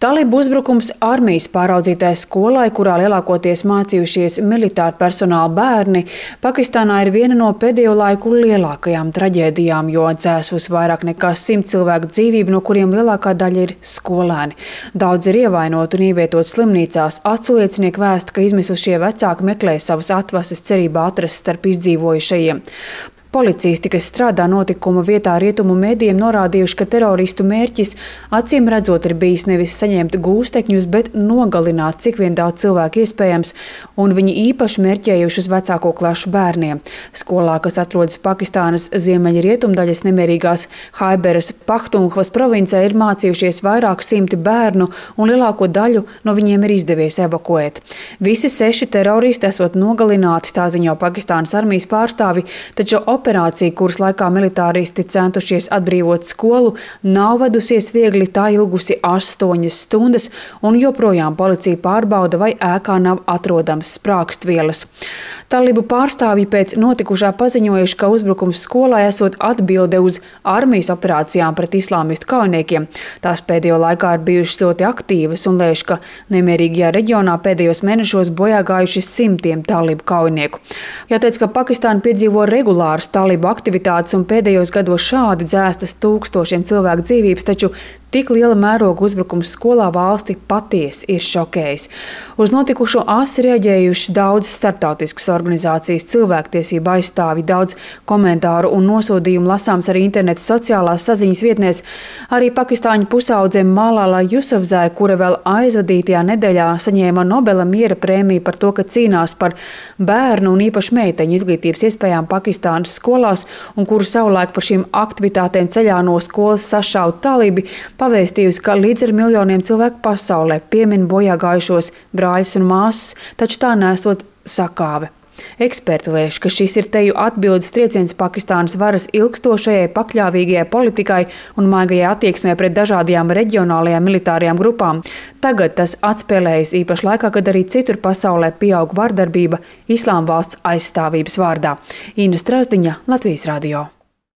Talibu uzbrukums armijas pāraudzītai skolai, kurā lielākoties mācījušies militāru personāla bērni, Pakistānā ir viena no pēdējo laiku lielākajām traģēdijām, jo dzēsus vairāk nekā 100 cilvēku dzīvību, no kuriem lielākā daļa ir skolēni. Daudz ir ievainoti un ievietot slimnīcās. Aculiecinieki vēsta, ka izmisušie vecāki meklē savas atvases cerībā atrast starp izdzīvojušajiem. Policisti, kas strādā notikuma vietā rietumu mēdījiem, norādījuši, ka teroristu mērķis acīm redzot ir bijis nevis saņemt gūstekņus, bet nogalināt cik vien daudz cilvēku iespējams, un viņi īpaši mērķējuši uz vecāko klašu bērniem. Skolā, kas atrodas Pakistānas ziemeļa rietumdaļas nemierīgās Haiberas Pahtunhvas provincē, ir mācījušies vairāk simti bērnu, un lielāko daļu no viņiem ir izdevies evakuēt. Visi 6 teroristi esot nogalināti, tā ziņo Pakistānas armijas pārstāvi, taču operācija, kuras laikā militāristi centušies atbrīvot skolu, nav vedusies viegli, tā ilgusi 8 stundas, un joprojām policija pārbauda, vai ēkā nav atrodams sprākstvielas. Talibu pārstāvji pēc notikušā paziņojuši, ka uzbrukums skolai esot atbilde uz armijas operācijām pret islāmistu kaujiniekiem. Tās pēdējo laikā ir bijušas ļoti aktīvas un lēš, ka nemierīgajā reģionā pēdējos mēnešos bojā gājuši simtiem talibu kaujinieku. Jāteic, ka Pakistāna piedzīvo regulāras talibu aktivitātes un pēdējos gados šādi dzēstas tūkstošiem cilvēku dzīvības, taču tik liela mēroga uzbrukums skolā valsti patiesi ir šokējis. Uz notikušo asi reaģējušas daudz starptautiskas organizācijas, cilvēktiesību aizstāvi, daudz komentāru un nosodījumu lasāms arī interneta sociālās saziņas vietnēs. Arī pakistāņu pusaudzē Malala Jusafzai, kura vēl aizvadītajā nedēļā saņēma Nobela miera prēmiju par to, ka cīnās par bērnu un īpaši meiteņu izglītības iespējām Pakistānas skolās un kuru savulaik par šīm aktivitātēm ceļā no skolas sašauta talibi, pavēstījusi, ka līdz ar miljoniem cilvēku pasaulē piemin bojā gājušos brāļus un māsas, taču tā nesot sakāve. Eksperti lēš, ka šis ir teju atbildes trieciens Pakistānas varas ilgstošajai pakļāvīgajai politikai un maigajai attieksmē pret dažādajām reģionālajām militārajām grupām. Tagad tas atspēlējas īpaši laikā, kad arī citur pasaulē pieaug vardarbība Islāma valsts aizstāvības vārdā. Ina Strasdiņa, Latvijas radio.